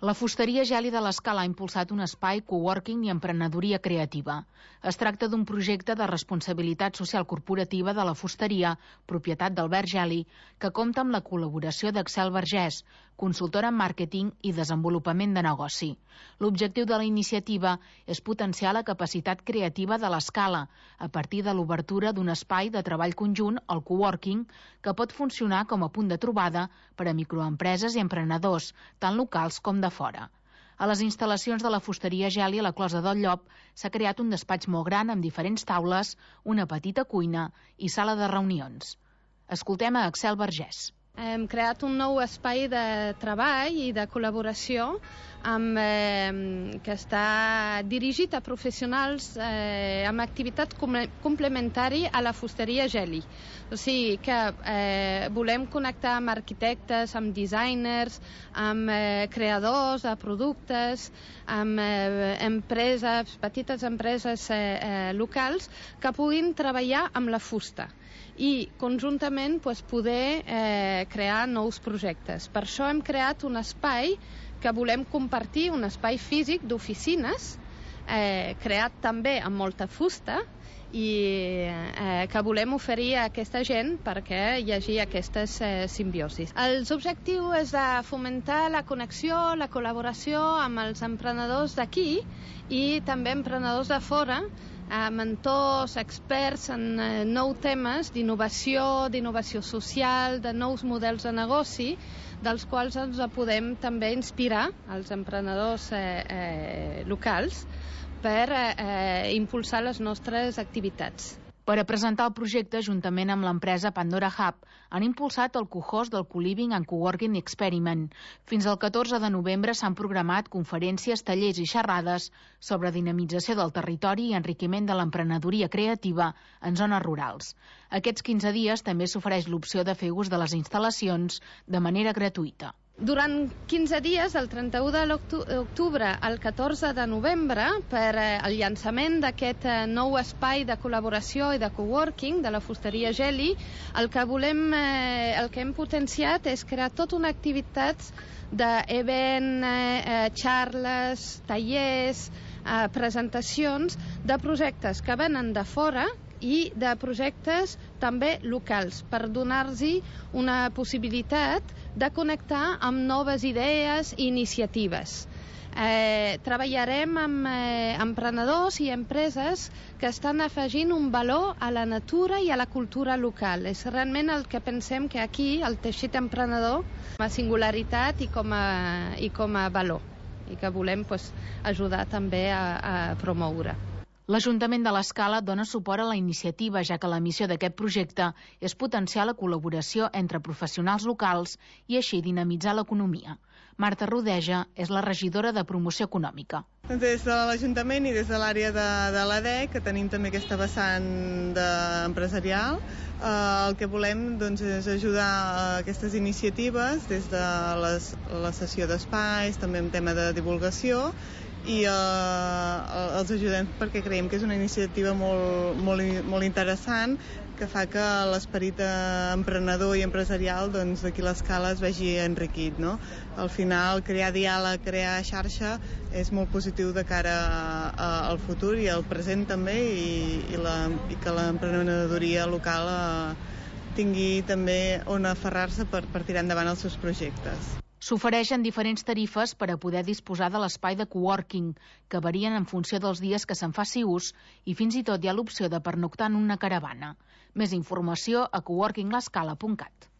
La fusteria Geli de l'Escala ha impulsat un espai coworking i emprenedoria creativa. Es tracta d'un projecte de responsabilitat social corporativa de la fusteria, propietat d'Albert Geli, que compta amb la col·laboració d'Axel Vergés, consultora en màrqueting i desenvolupament de negoci. L'objectiu de la iniciativa és potenciar la capacitat creativa de l'Escala a partir de l'obertura d'un espai de treball conjunt, el coworking, que pot funcionar com a punt de trobada per a microempreses i emprenedors, tant locals com de fora. A les instal·lacions de la fusteria Geli a la Closa del Llop s'ha creat un despatx molt gran amb diferents taules, una petita cuina i sala de reunions. Escoltem a Axel Vergés. Hem creat un nou espai de treball i de col·laboració que està dirigit a professionals amb activitat complementari a la fusteria Geli. O sigui que volem connectar amb arquitectes, amb designers, amb creadors de productes, amb empreses, petites empreses locals que puguin treballar amb la fusta i conjuntament poder crear nous projectes. Per això hem creat un espai que volem compartir, un espai físic d'oficines, creat també amb molta fusta i que volem oferir a aquesta gent perquè hi hagi aquestes simbiosis. El objectiu és de fomentar la connexió, la col·laboració amb els emprenedors d'aquí i també emprenedors de fora, mentors, experts en nous temes d'innovació social, de nous models de negoci, dels quals ens podem també inspirar els emprenedors locals per impulsar les nostres activitats. Per a presentar el projecte, juntament amb l'empresa Pandora Hub, han impulsat el co-host del Co-Living and Coworking Experiment. Fins al 14 de novembre s'han programat conferències, tallers i xerrades sobre dinamització del territori i enriquiment de l'emprenedoria creativa en zones rurals. Aquests 15 dies també s'ofereix l'opció de fer ús de les instal·lacions de manera gratuïta. Durant 15 dies, del 31 d'octubre al 14 de novembre, per el llançament d'aquest nou espai de col·laboració i de coworking de la fusteria Geli, el que hem potenciat és crear tota una activitat d'event, xarles, tallers, presentacions de projectes que venen de fora i de projectes també locals per donar-los una possibilitat de connectar amb noves idees i iniciatives. Treballarem amb emprenedors i empreses que estan afegint un valor a la natura i a la cultura local. És realment el que pensem que aquí el teixit emprenedor com a singularitat i com a valor i que volem ajudar també a promoure. L'Ajuntament de l'Escala dona suport a la iniciativa, ja que la missió d'aquest projecte és potenciar la col·laboració entre professionals locals i així dinamitzar l'economia. Marta Rodeja és la regidora de Promoció Econòmica. Des de l'Ajuntament i des de l'àrea de l'ADEC, que tenim també aquesta vessant empresarial, el que volem és ajudar a aquestes iniciatives des de la cessió d'espais, també en tema de divulgació, i els ajudem perquè creiem que és una iniciativa molt interessant que fa que l'esperit emprenedor i empresarial d'aquí a l'Escala es vegi enriquit, no? Al final, crear diàleg, crear xarxa és molt positiu de cara al futur i al present també i que l'emprenedoria local tingui també on aferrar-se per tirar endavant els seus projectes. S'ofereixen diferents tarifes per a poder disposar de l'espai de coworking, que varien en funció dels dies que se'n faci ús i fins i tot hi ha l'opció de pernoctar en una caravana. Més informació a coworkinglescala.cat.